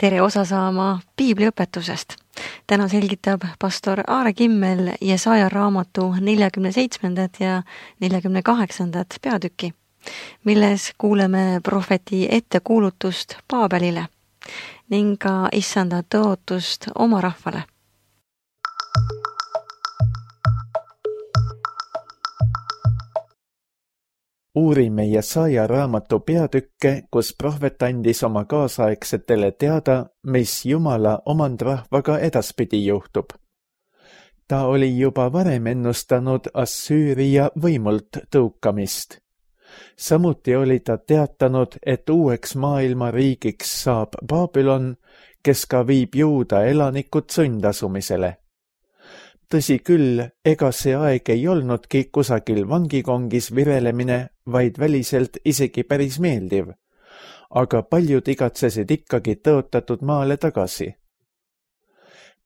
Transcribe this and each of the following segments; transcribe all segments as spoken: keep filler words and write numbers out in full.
tere osa saama piibliõpetusest. Täna selgitab pastor Aare Kimmel Jesaja raamatu neljakümne seitsmendat ja neljakümne kaheksandat peatükki, milles kuuleme prohveti ettekuulutust Paabelile ning ka issanda tõotust oma rahvale. Uurime Jesaja raamatu peatükke, kus prohvet andis oma kaasaegsetele teada, mis Jumala omandrahvaga edaspidi juhtub. Ta oli juba varem ennustanud Assüüria võimult tõukamist. Samuti oli ta teatanud, et uueks maailmariigiks saab Babylon, kes ka viib Juuda elanikud sundasumisele. Tõsi küll, ega see aeg ei olnudki kusagil vangikongis virelemine, vaid väliselt isegi päris meeldiv, aga paljud igatsesid ikkagi tõotatud maale tagasi.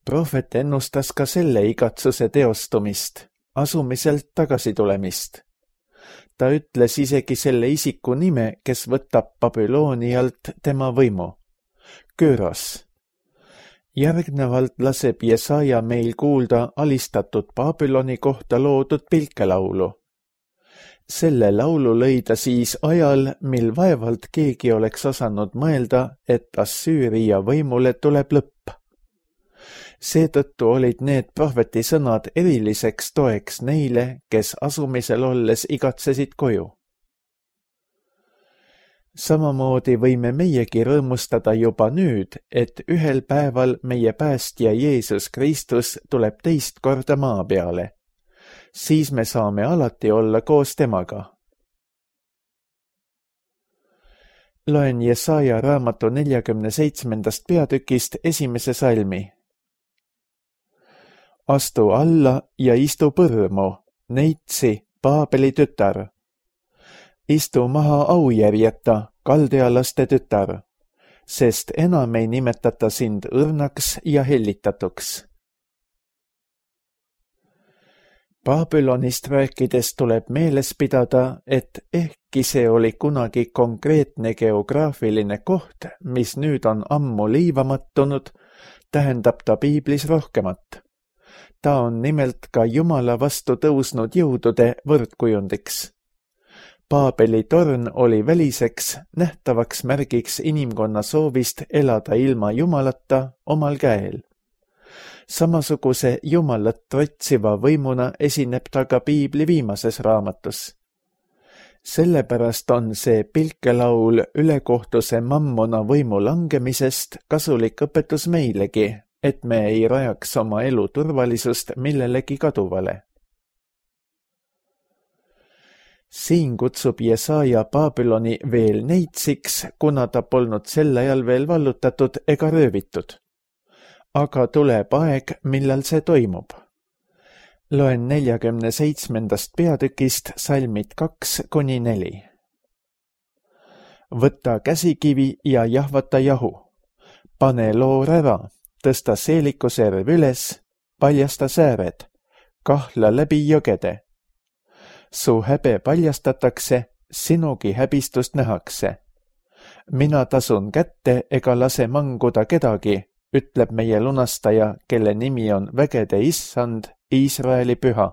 Prohvet ennustas ka selle igatsuse teostumist, asumiselt tagasi tulemist. Ta ütles isegi selle isiku nime, kes võtab Babylonialt tema võimu. Köros. Järgnevalt laseb Jesaja meil kuulda alistatud Babyloni kohta loodud pilkelaulu. Selle laulu lõi ta siis ajal, mil vaevalt keegi oleks osanud mõelda, et Assüüria võimule tuleb lõpp. Seetõttu olid need prohveti sõnad eriliseks toeks neile, kes asumisel olles igatsesid koju. Samamoodi võime meiegi rõõmustada juba nüüd, et ühel päeval meie päästja Jeesus Kristus tuleb teist korda maa peale. Siis me saame alati olla koos temaga. Loen Jesaja raamatu neljakümne seitsmendast peatükist esimese salmi. Astu alla ja istu põrmu, neitsi, Paabeli tütar. Istu maha aujärjeta, kaldealaste tütar, sest enam ei nimetata sind õrnaks ja hellitatuks. Babylonist rääkides tuleb meeles pidada, et ehkki see oli kunagi konkreetne geograafiline koht, mis nüüd on ammu liivamattunud, tähendab ta piiblis rohkemat. Ta on nimelt ka Jumala vastu tõusnud jõudude võrdkujundiks. Paabeli torn oli väliseks, nähtavaks märgiks inimkonna soovist elada ilma Jumalata omal käel. Samasuguse Jumalat trotsiva võimuna esineb ta ka piibli viimases raamatus. Sellepärast on see pilkelaul ülekohtuse mammona võimu langemisest kasulik õpetus meilegi, et me ei rajaks oma elu turvalisust millelegi kaduvale. Siin kutsub Jesaja Babyloni veel neitsiks, kuna ta polnud sel ajal veel vallutatud ega röövitud. Aga tuleb aeg, millal see toimub. Loen neljakümne seitsmendast peatükist salmid kaks kuni neli. Võta käsikivi ja jahvata jahu. Pane loor ära, tõsta seeliku serv üles, paljasta sääred, kahla läbi jõgede. Su häbe paljastatakse, sinugi häbistust nähakse. Mina tasun kätte ega lase manguda kedagi, ütleb meie lunastaja, kelle nimi on vägede issand, Iisraeli püha.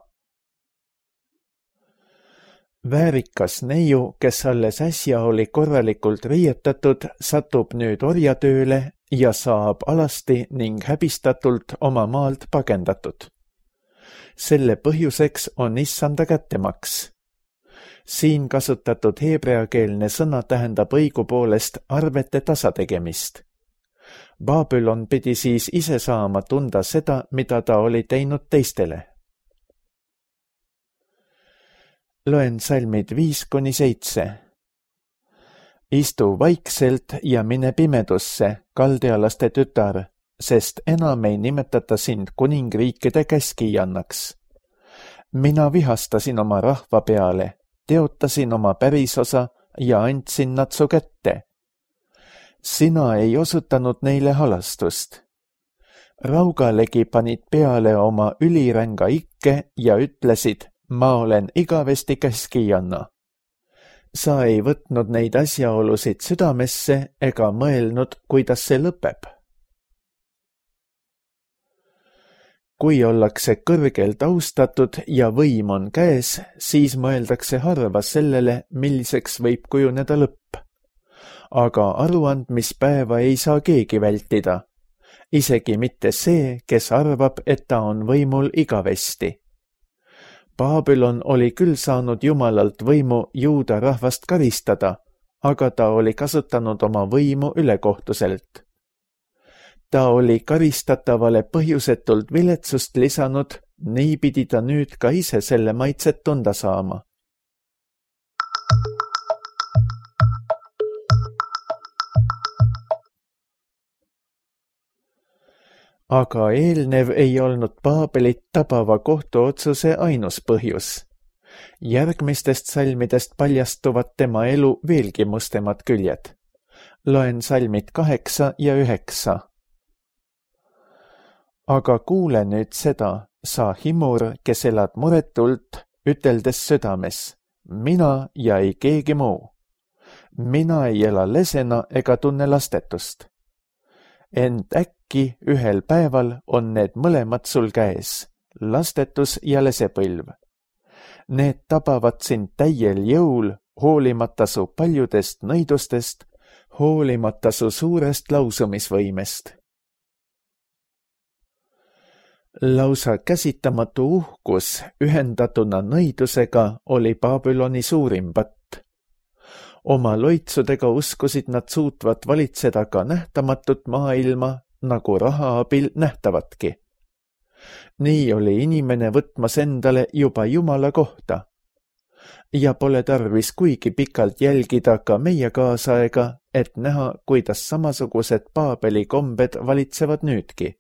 Väärikas neiu, kes alles äsja oli korralikult riietatud, satub nüüd orjatööle ja saab alasti ning häbistatult oma maalt pagendatud. Selle põhjuseks on issanda kättemaks. Siin kasutatud heebreakeelne sõna tähendab õigupoolest arvete tasategemist. Babylon pidi siis ise saama tunda seda, mida ta oli teinud teistele. Loen salmid viis kuni seitse. Istu vaikselt ja mine pimedusse, kaldealaste tütar, sest enam ei nimetata sind kuningriikide käskijannaks. Mina vihastasin oma rahva peale, teotasin oma pärisosa ja andsin nad su kätte. Sina ei osutanud neile halastust. Raugalegi panid peale oma üliränga ikke ja ütlesid, ma olen igavesti käskijanna. Sa ei võtnud neid asjaolusid südamesse ega mõelnud, kuidas see lõpeb. kui ollakse kõrgelt austatud ja võim on käes, siis mõeldakse harva sellele, milliseks võib kujuneda lõpp. Aga aruandmispäeva ei saa keegi vältida. Isegi mitte see, kes arvab, et ta on võimul igavesti. Babylon oli küll saanud Jumalalt võimu juuda rahvast karistada, aga ta oli kasutanud oma võimu ülekohtuselt. Ta oli karistatavale põhjusetult viletsust lisanud, nii pidi ta nüüd ka ise selle maitset tunda saama. Aga eelnev ei olnud Baabelit tabava kohtuotsuse ainus põhjus. Järgmistest salmidest paljastuvad tema elu veelgi mustemad küljed. Loen salmid kaheksa ja üheksa. Aga kuule nüüd seda, sa himur, kes elad muretult, üteldes südames, mina ja ei keegi muu. Mina ei ela lesena ega tunne lastetust. Ent äkki ühel päeval on need mõlemad sul käes, lastetus ja lesepõlv. Need tabavad sind täiel jõul, hoolimata su paljudest nõidustest, hoolimata su suurest lausumisvõimest. Lausa käsitamatu uhkus ühendatuna nõidusega oli Babyloni suurim patt. Oma loitsudega uskusid nad suutvat valitseda ka nähtamatut maailma, nagu raha abil nähtavatki. Nii oli inimene võtmas endale juba Jumala kohta. Ja pole tarvis kuigi pikalt jälgida ka meie kaasaega, et näha, kuidas samasugused Baabeli kombed valitsevad nüüdki.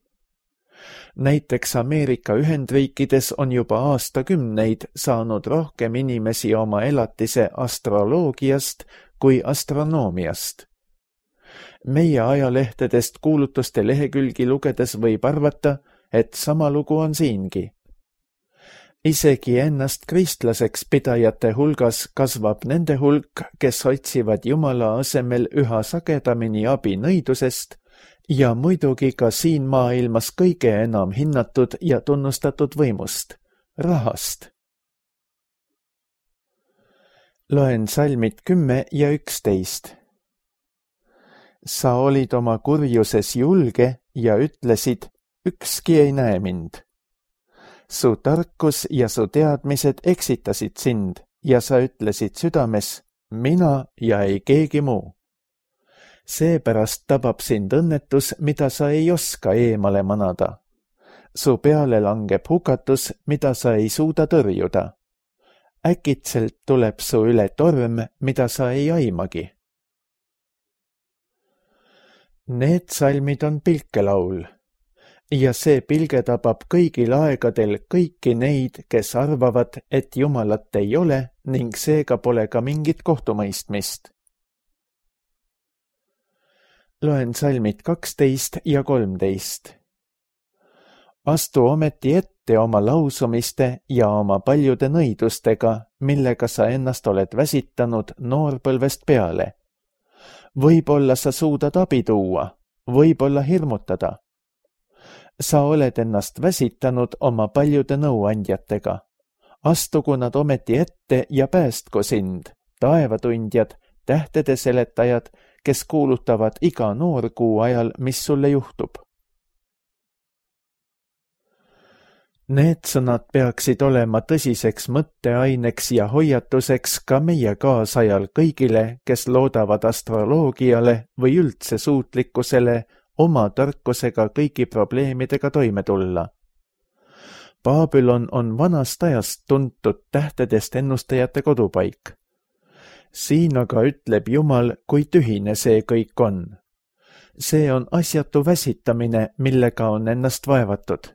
Näiteks Ameerika Ühendriikides on juba aastakümneid saanud rohkem inimesi oma elatise astroloogiast kui astronoomiast. Meie ajalehtedest kuulutuste lehekülgi lugedes võib arvata, et sama lugu on siingi. Isegi ennast kristlaseks pidajate hulgas kasvab nende hulk, kes otsivad Jumala asemel üha sagedamini abi nõidusest, ja muidugi ka siin maailmas kõige enam hinnatud ja tunnustatud võimust, rahast. Loen salmid kümme ja üksteist. Sa olid oma kurjuses julge ja ütlesid, ükski ei näe mind. Su tarkus ja su teadmised eksitasid sind ja sa ütlesid südames, mina ja ei keegi muu. Seepärast tabab sind õnnetus, mida sa ei oska eemale manada. Su peale langeb hukatus, mida sa ei suuda tõrjuda. Äkitselt tuleb su üle torm, mida sa ei aimagi. Need salmid on pilkelaul. Ja see pilge tabab kõigil aegadel kõiki neid, kes arvavad, et Jumalat ei ole ning seega pole ka mingit kohtumõistmist. Loen salmid kaksteist ja kolmteist. Astu ometi ette oma lausumiste ja oma paljude nõidustega, millega sa ennast oled väsitanud noorpõlvest peale. Võib-olla sa suudad abi tuua, võib-olla hirmutada. Sa oled ennast väsitanud oma paljude nõuandjatega. Astugu nad ometi ette ja päästku sind, taevatundjad, tähtede seletajad, kes kuulutavad iga noorkuu ajal, mis sulle juhtub. Need sõnad peaksid olema tõsiseks mõtteaineks ja hoiatuseks ka meie kaasajal kõigile, kes loodavad astroloogiale või üldse suutlikkusele oma tarkusega kõigi probleemidega toime tulla. Babylon on vanast ajast tuntud tähtedest ennustajate kodupaik. Siin aga ütleb Jumal, kui tühine see kõik on. See on asjatu väsitamine, millega on ennast vaevatud.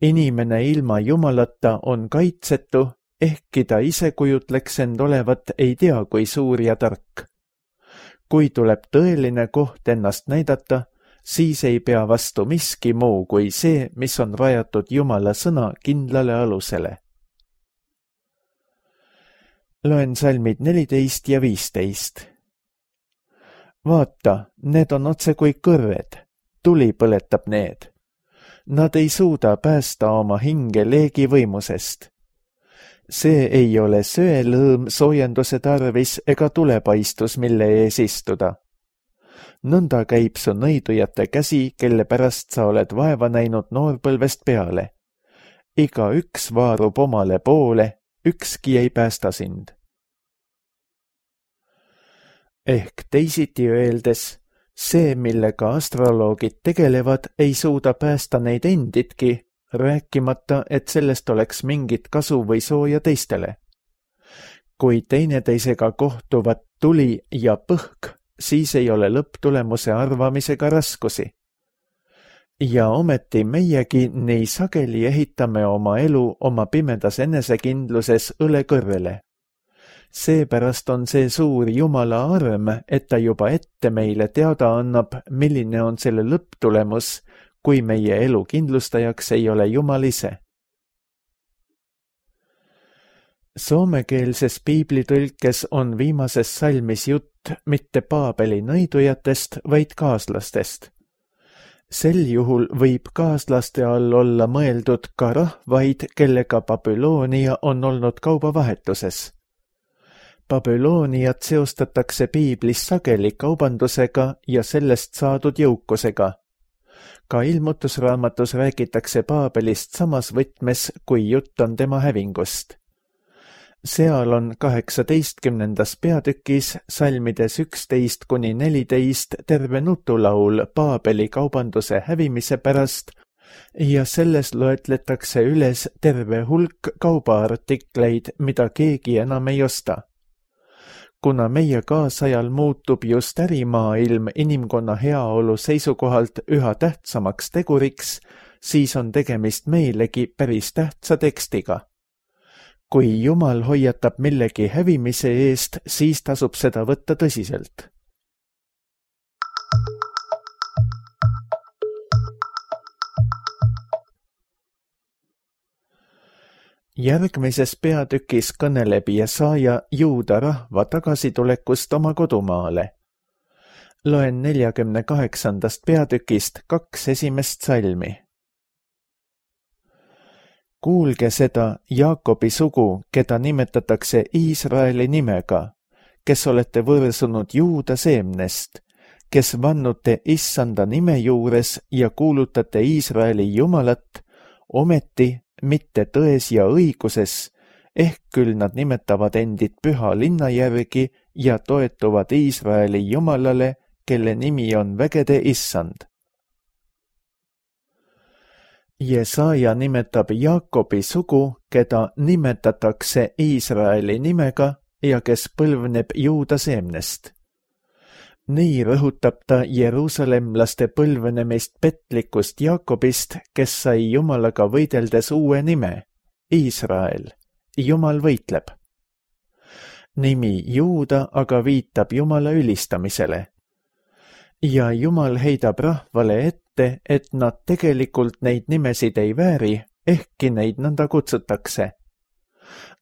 Inimene ilma Jumalata on kaitsetu, ehkki ta ise kujutleks end olevat ei tea kui suur ja tark. Kui tuleb tõeline koht ennast näidata, siis ei pea vastu miski muu kui see, mis on rajatud Jumala sõna kindlale alusele. Loen salmid neliteist ja viisteist. Vaata, need on otse kui kõrved, tuli põletab need. Nad ei suuda päästa oma hinge leegi võimusest. See ei ole söelõõm soojenduse tarvis ega tulepaistus, mille ees istuda. Nõnda käib su nõidujate käsi, kelle pärast sa oled vaeva näinud noorpõlvest peale. Iga üks vaarub omale poole, ükski ei päästa sind. Ehk teisiti öeldes, see, millega astroloogid tegelevad, ei suuda päästa neid enditki, rääkimata, et sellest oleks mingit kasu või sooja teistele. Kui teineteisega kohtuvad tuli ja põhk, siis ei ole lõpptulemuse arvamisega raskusi. Ja ometi meiegi nii sageli ehitame oma elu oma pimedas enesekindluses õle kõrrele. Seepärast on see suur Jumala arm, et ta juba ette meile teada annab, milline on selle lõpptulemus, kui meie elu kindlustajaks ei ole Jumal ise. Soomekeelses piiblitõlkes on viimases salmis jutt mitte Paabeli nõidujatest, vaid kaaslastest. Sel juhul võib kaaslaste all olla mõeldud ka rahvaid, kellega Babyloonia on olnud kaubavahetuses. Babyloniat seostatakse piiblis sageli kaubandusega ja sellest saadud jõukusega. Ka ilmutusraamatus räägitakse Paabelist samas võtmes, kui jutt on tema hävingust. Seal on kaheksateistkümnendas peatükis salmides üksteist kuni neliteist terve nutulaul Paabeli kaubanduse hävimise pärast ja selles loetletakse üles terve hulk kaubaartikleid, mida keegi enam ei osta. Kuna meie kaasajal muutub just ärimaailm inimkonna heaolu seisukohalt üha tähtsamaks teguriks, siis on tegemist meilegi päris tähtsa tekstiga. Kui Jumal hoiatab millegi hävimise eest, siis tasub seda võtta tõsiselt. Järgmises peatükis kõneleb Jesaja juuda rahva tagasitulekust oma kodumaale. Loen neljakümne kaheksandast peatükist kaks esimest salmi. Kuulge seda Jaakobi sugu, keda nimetatakse Iisraeli nimega, kes olete võrsunud juuda seemnest, kes vannute issanda nime juures ja kuulutate Iisraeli Jumalat, ometi mitte tões ja õiguses, ehk küll nad nimetavad endid püha linna järgi ja toetuvad Iisraeli Jumalale, kelle nimi on vägede issand. Jesaja nimetab Jaakobi sugu, keda nimetatakse Iisraeli nimega ja kes põlvneb juuda seemnest. Nii rõhutab ta jeruusalemlaste põlvenemist petlikust Jaakobist, kes sai Jumalaga võideldes uue nime, Iisrael. Jumal võitleb. Nimi Juuda aga viitab Jumala ülistamisele. Ja Jumal heidab rahvale ette, et nad tegelikult neid nimesid ei vääri, ehkki neid nõnda kutsutakse.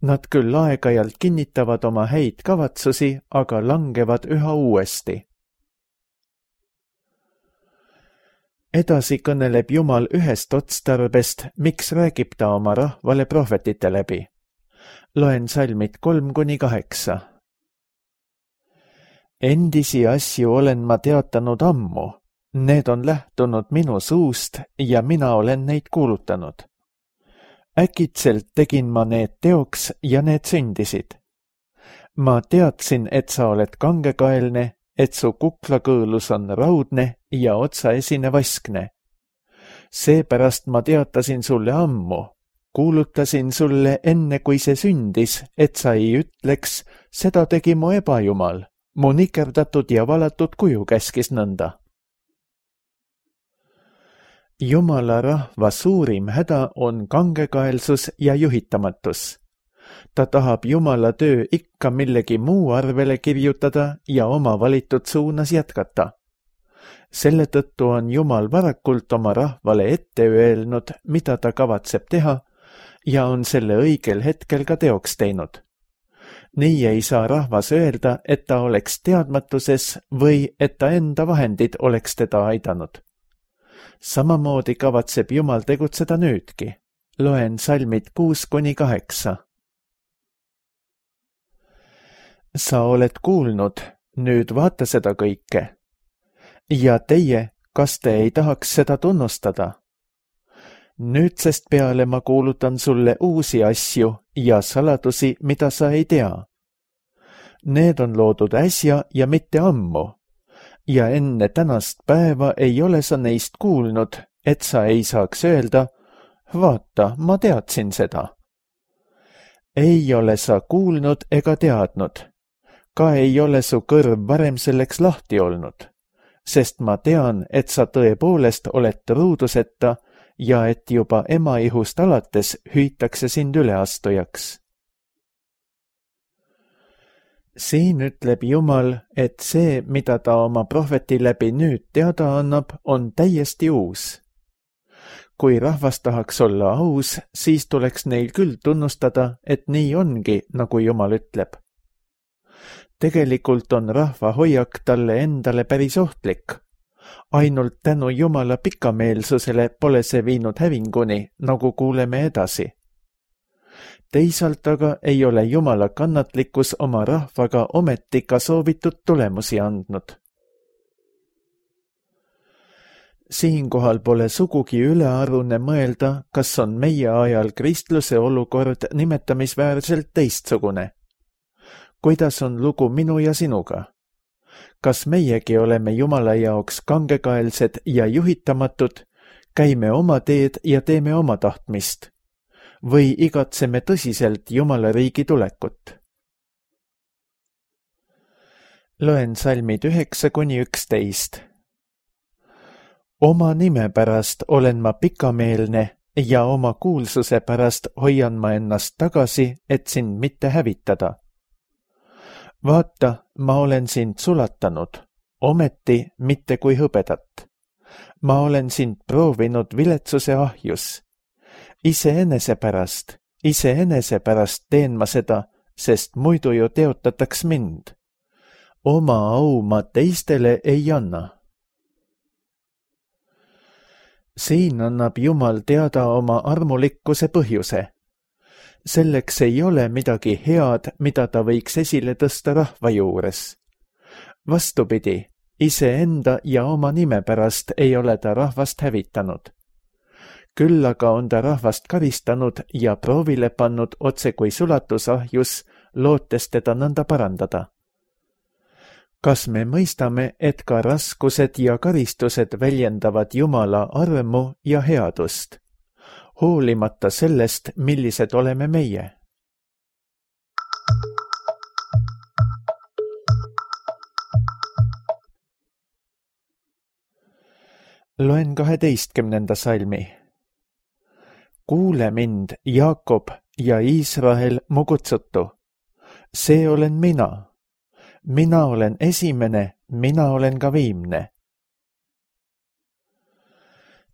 Nad küll aeg-ajalt kinnitavad oma häid kavatsusi, aga langevad üha uuesti. Edasi kõneleb Jumal ühest otstarbest, miks räägib ta oma rahvale prohvetite läbi. Loen salmid kolm kuni kaheksa. Endisi asju olen ma teatanud ammu, need on lähtunud minu suust ja mina olen neid kuulutanud. Äkitselt tegin ma need teoks ja need sündisid. Ma teadsin, et sa oled kangekaelne, et su kuklakõõlus on raudne ja otsaesine vaskne. Seepärast ma teatasin sulle ammu, kuulutasin sulle enne, kui see sündis, et sa ei ütleks, seda tegi mu ebajumal, mu nikerdatud ja valatud kuju käskis nõnda. Jumala rahva suurim häda on kangekaelsus ja juhitamatus. Ta tahab Jumala töö ikka millegi muu arvele kirjutada ja oma valitud suunas jätkata. Selle tõttu on Jumal varakult oma rahvale ette öelnud, mida ta kavatseb teha, ja on selle õigel hetkel ka teoks teinud. Nii ei saa rahvas öelda, et ta oleks teadmatuses või et ta enda vahendid oleks teda aidanud. Samamoodi kavatseb Jumal tegutseda nüüdki. Loen salmid kuus kuni kaheksa. Sa oled kuulnud, nüüd vaata seda kõike. Ja teie, kas te ei tahaks seda tunnustada? Nüüdsest peale ma kuulutan sulle uusi asju ja saladusi, mida sa ei tea. Need on loodud äsja ja mitte ammu. Ja enne tänast päeva ei ole sa neist kuulnud, et sa ei saaks öelda, vaata, ma teadsin seda. Ei ole sa kuulnud ega teadnud. Ka ei ole su kõrv varem selleks lahti olnud, sest ma tean, et sa tõepoolest oled truuduseta ja et juba ema ihust alates hüütakse sind üleastujaks. Siin ütleb Jumal, et see, mida ta oma prohveti läbi nüüd teada annab, on täiesti uus. Kui rahvas tahaks olla aus, siis tuleks neil küll tunnustada, et nii ongi, nagu Jumal ütleb. Tegelikult on rahva hoiak talle endale päris ohtlik. Ainult tänu Jumala pikameelsusele pole see viinud hävinguni, nagu kuuleme edasi. Teisalt aga ei ole Jumala kannatlikkus oma rahvaga ometi ka soovitud tulemusi andnud. Siinkohal pole sugugi ülearune mõelda, kas on meie ajal kristluse olukord nimetamisväärselt teistsugune. Kuidas on lugu minu ja sinuga? Kas meiegi oleme Jumala jaoks kangekaelsed ja juhitamatud, käime oma teed ja teeme oma tahtmist? Või igatseme tõsiselt Jumala riigi tulekut? Loen salmid üheksa kuni üksteist. Oma nime pärast olen ma pikameelne ja oma kuulsuse pärast hoian ma ennast tagasi, et sind mitte hävitada. Vaata, ma olen sind sulatanud, ometi mitte kui hõbedat. Ma olen sind proovinud viletsuse ahjus. Iseenese pärast, iseenese pärast teen ma seda, sest muidu ju teotataks mind. Oma au ma teistele ei anna. Siin annab Jumal teada oma armulikkuse põhjuse. Selleks ei ole midagi head, mida ta võiks esile tõsta rahva juures. Vastupidi, iseenda ja oma nime pärast ei ole ta rahvast hävitanud. Küll aga on ta rahvast karistanud ja proovile pannud otse kui sulatusahjus, lootes teda nõnda parandada. Kas me mõistame, et ka raskused ja karistused väljendavad Jumala armu ja headust, hoolimata sellest, millised oleme meie? Loen kaheteistkümnenda salmi. Kuule mind, Jaakob ja Iisrael, mu kutsutu. See olen mina. Mina olen esimene, mina olen ka viimne.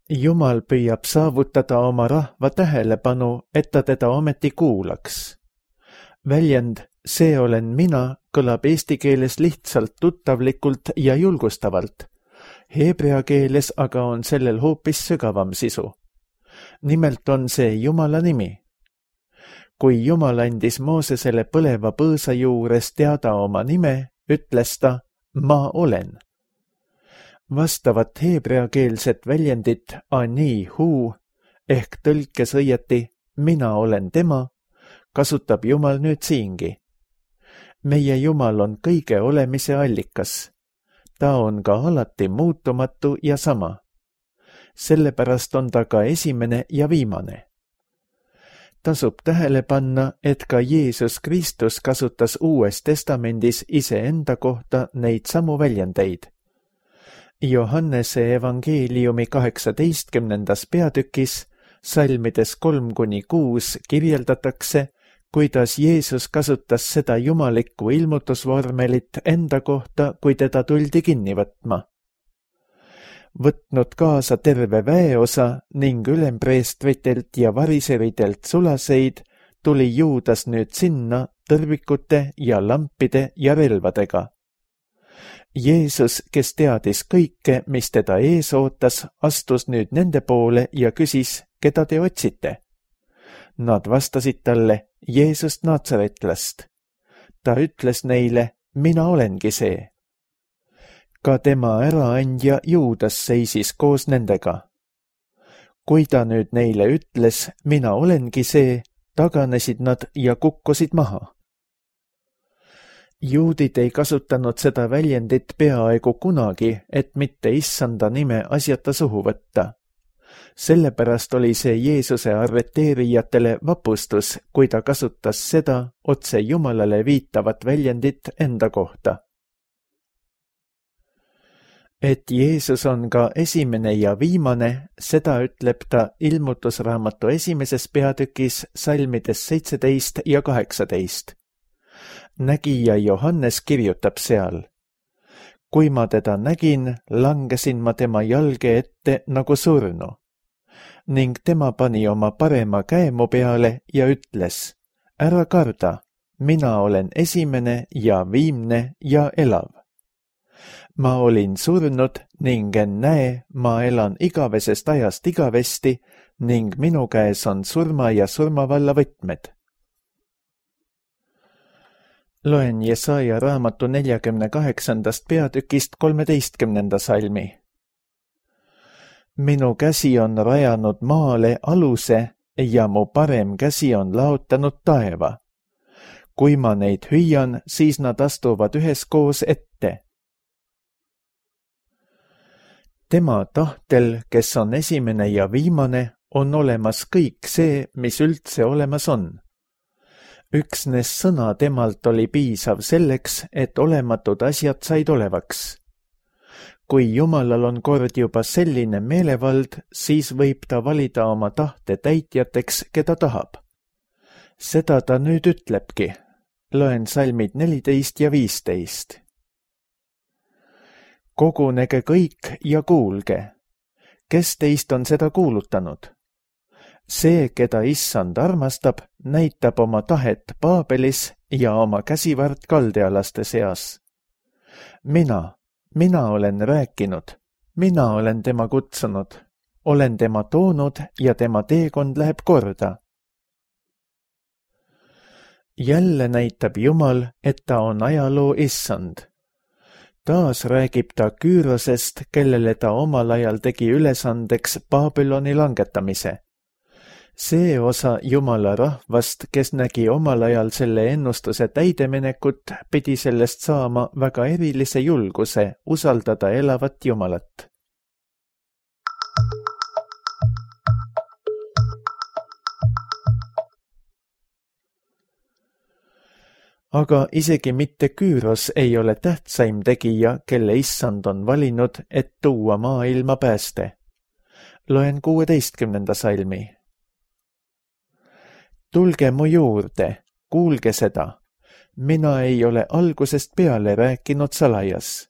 Jumal püüab saavutada oma rahva tähelepanu, et ta teda ometi kuulaks. Väljend see olen mina kõlab eesti keeles lihtsalt tuttavlikult ja julgustavalt. Heebrea keeles aga on sellel hoopis sügavam sisu. Nimelt on see Jumala nimi. Kui Jumal andis Moosesele põleva põõsa juures teada oma nime, ütles ta, ma olen. Vastavat heebreakeelset väljendit ani hu ehk tõlkes õieti mina olen tema, kasutab Jumal nüüd siingi. Meie Jumal on kõige olemise allikas. Ta on ka alati muutumatu ja sama. Sellepärast on ta ka esimene ja viimane. Tasub tähele panna, et ka Jeesus Kristus kasutas Uues Testamendis iseenda kohta neid samu väljendeid. Johannese evangeeliumi kaheksateistkümnendas peatükis, salmides kolm kuni kuus kirjeldatakse, kuidas Jeesus kasutas seda jumalikku ilmutusvormelit enda kohta, kui teda tuldi kinni võtma. Võtnud kaasa terve väeosa ning ülempreestritelt ja variseridelt sulaseid, tuli Juudas nüüd sinna tõrvikute ja lampide ja relvadega. Jeesus, kes teadis kõike, mis teda ees ootas, astus nüüd nende poole ja küsis, keda te otsite. Nad vastasid talle, Jeesust Naatsaretlast. Ta ütles neile, mina olengi see. Ka tema äraandja Juudas seisis koos nendega. Kui ta nüüd neile ütles, mina olengi see, taganesid nad ja kukkusid maha. Juudid ei kasutanud seda väljendit peaaegu kunagi, et mitte issanda nime asjata suhu võtta. Sellepärast oli see Jeesuse arreteerijatele vapustus, kui ta kasutas seda otse Jumalale viitavat väljendit enda kohta. Et Jeesus on ka esimene ja viimane, seda ütleb ta ilmutusraamatu esimeses peatükis salmides seitseteist ja kaheksateist. Nägija Johannes kirjutab seal. Kui ma teda nägin, langesin ma tema jalge ette nagu surnu. Ning tema pani oma parema käe mu peale ja ütles, ära karda, mina olen esimene ja viimne ja elav. Ma olin surnud ning ennäe, ma elan igavesest ajast igavesti ning minu käes on surma ja surmavalla võtmed. Loen Jesaja raamatu neljakümne kaheksandast peatükist kolmeteistkümnenda salmi. Minu käsi on rajanud maale aluse ja mu parem käsi on laotanud taeva. Kui ma neid hüüan, siis nad astuvad üheskoos ette. Tema tahtel, kes on esimene ja viimane, on olemas kõik see, mis üldse olemas on. Üksnes sõna temalt oli piisav selleks, et olematud asjad said olevaks. Kui Jumalal on kord juba selline meelevald, siis võib ta valida oma tahte täitjateks, keda tahab. Seda ta nüüd ütlebki. Loen salmid neliteist ja viisteist. Kogunege kõik ja kuulge. Kes teist on seda kuulutanud? See, keda issand armastab, näitab oma tahet Paabelis ja oma käsivart kaldealaste seas. Mina, mina olen rääkinud, mina olen tema kutsunud, olen tema toonud ja tema teekond läheb korda. Jälle näitab Jumal, et ta on ajaloo issand. Taas räägib ta Küürosest, kellele ta omal ajal tegi ülesandeks Babyloni langetamise. See osa Jumala rahvast, kes nägi omal ajal selle ennustuse täideminekut, pidi sellest saama väga erilise julguse usaldada elavat Jumalat. Aga isegi mitte Küüros ei ole tähtsaim tegija, kelle issand on valinud, et tuua maailma pääste. Loen kuueteistkümnenda salmi. Tulge mu juurde, kuulge seda. Mina ei ole algusest peale rääkinud salajas.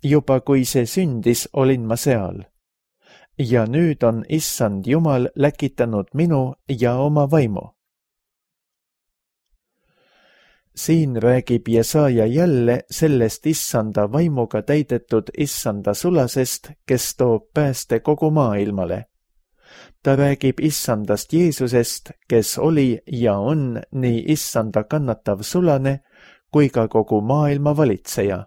Juba kui see sündis, olin ma seal. Ja nüüd on issand Jumal läkitanud minu ja oma vaimu. Siin räägib Jesaja jälle sellest issanda vaimuga täidetud issanda sulasest, kes toob pääste kogu maailmale. Ta räägib issandast Jeesusest, kes oli ja on nii issanda kannatav sulane kui ka kogu maailma valitseja.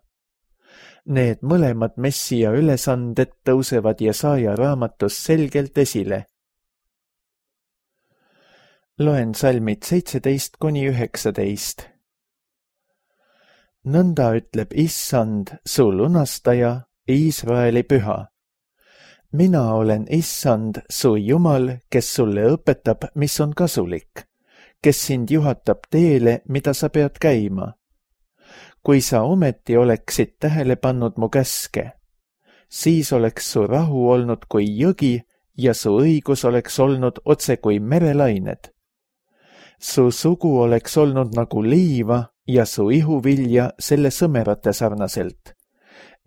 Need mõlemad Messia ülesanded tõusevad Jesaja raamatus selgelt esile. Loen salmid seitseteist kuni üheksateist. Nõnda ütleb issand, su lunastaja, Iisraeli püha. Mina olen issand, su Jumal, kes sulle õpetab, mis on kasulik, kes sind juhatab teele, mida sa pead käima. Kui sa ometi oleksid tähele pannud mu käske, siis oleks su rahu olnud kui jõgi ja su õigus oleks olnud otse kui merelained. Su sugu oleks olnud nagu liiva ja su ihuvilja selle sõmerate sarnaselt.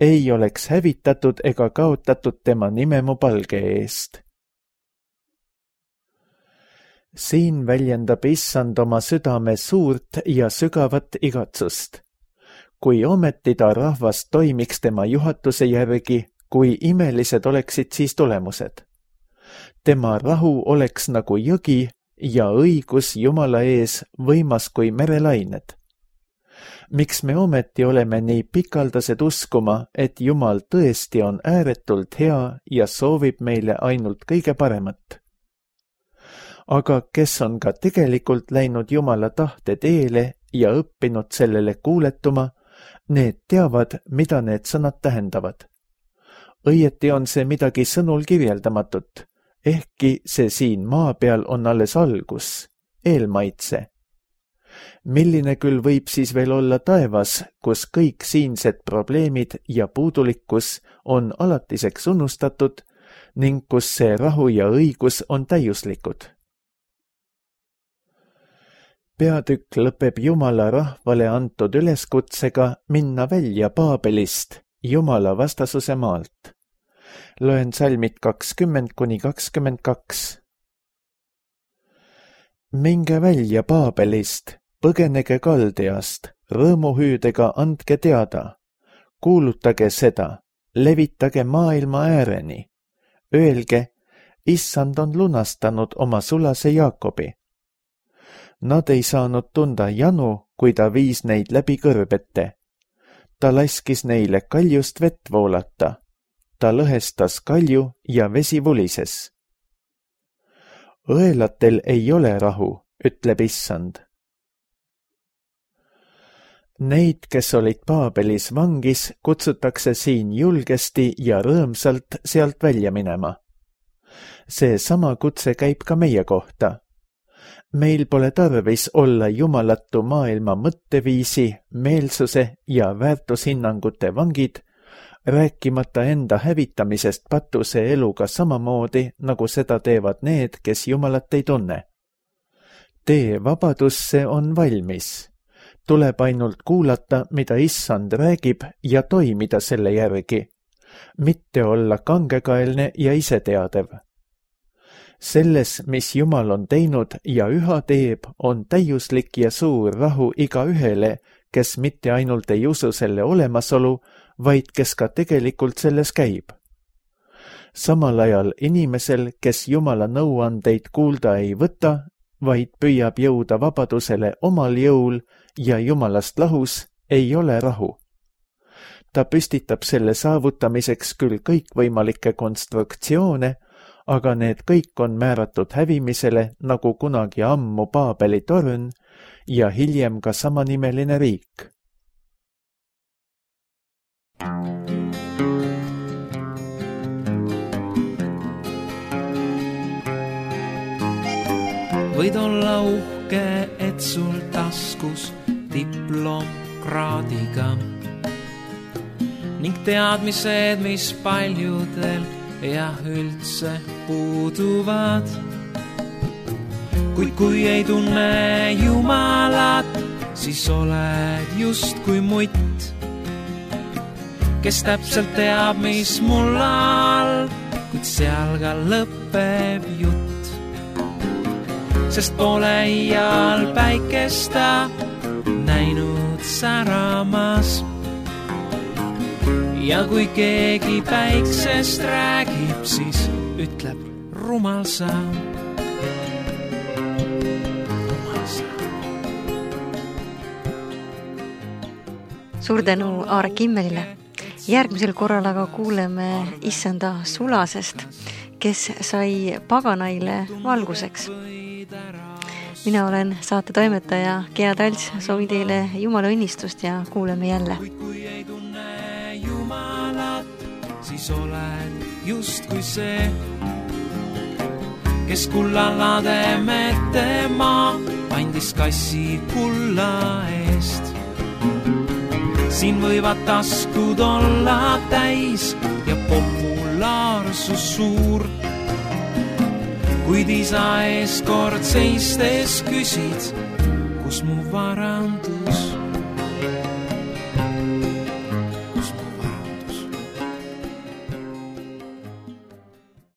Ei oleks hävitatud ega kaotatud tema nime mu palge eest. Siin väljendab issand oma südame suurt ja sügavat igatsust. kui ometi ta rahvas toimiks tema juhatuse järgi, kui imelised oleksid siis tulemused. Tema rahu oleks nagu jõgi ja õigus Jumala ees võimas kui merelained. Miks me ometi oleme nii pikaldased uskuma, et Jumal tõesti on ääretult hea ja soovib meile ainult kõige paremat? Aga kes on ka tegelikult läinud Jumala tahte teele ja õppinud sellele kuuletuma, need teavad, mida need sõnad tähendavad. Õieti on see midagi sõnul kirjeldamatut, ehkki see siin maa peal on alles algus, eelmaitse. Milline küll võib siis veel olla taevas, kus kõik siinsed probleemid ja puudulikkus on alatiseks unustatud ning kus see rahu ja õigus on täiuslikud? Peatükk lõpeb Jumala rahvale antud üleskutsega minna välja Paabelist, Jumala vastasuse maalt. Loen salmid kakskümmend kuni kakskümmend kaks. Minge välja Paabelist, põgenege Kaldeast, rõõmuhüüdega andke teada, kuulutage seda, levitage maailma ääreni, öelge, issand on lunastanud oma sulase Jaakobi. Nad ei saanud tunda janu, kui ta viis neid läbi kõrbete. Ta laskis neile kaljust vett voolata. Ta lõhestas kalju ja vesi vulises. Õelatel ei ole rahu, ütleb issand. Neid, kes olid Paabelis vangis, kutsutakse siin julgesti ja rõõmsalt sealt välja minema. See sama kutse käib ka meie kohta. Meil pole tarvis olla jumalatu maailma mõtteviisi, meelsuse ja väärtushinnangute vangid, rääkimata enda hävitamisest patuse eluga samamoodi, nagu seda teevad need, kes Jumalat ei tunne. Tee vabadusse on valmis. Tuleb ainult kuulata, mida issand räägib ja toimida selle järgi, mitte olla kangekaelne ja iseteadev. Selles, mis Jumal on teinud ja üha teeb, on täiuslik ja suur rahu iga ühele, kes mitte ainult ei usu selle olemasolu, vaid kes ka tegelikult selles käib. Samal ajal inimesel, kes Jumala nõuandeid kuulda ei võta, vaid püüab jõuda vabadusele omal jõul ja Jumalast lahus, ei ole rahu. Ta püstitab selle saavutamiseks küll kõikvõimalikke konstruktsioone, aga need kõik on määratud hävimisele, nagu kunagi ammu Paabeli torn ja hiljem ka samanimeline riik. Võid olla uhke, et sul taskus diplom kraadiga ning teadmised, mis paljudel ja üldse puuduvad. Kuid kui ei tunne Jumalat, siis oled just kui mutt, kes täpselt teab, mis mul all, kuid seal ka lõpeb jutt. Sest pole iial päikesta näinud säramas. Ja kui keegi päiksest räägib, siis ütleb rumal sa. Rumal sa. Suur tänu Aare Kimmelile. Järgmisel korral aga kuuleme issanda sulasest, kes sai paganaile valguseks. Mina olen saate toimetaja Gea Talts, soovin teile Jumala õnnistust ja kuuleme jälle. Siis oled just kui see, kes kullalade metema andis kassi kulla eest. Siin võivad taskud olla täis ja populaarsus suur, kuid isa ees kord seistes küsid, kus mu vara on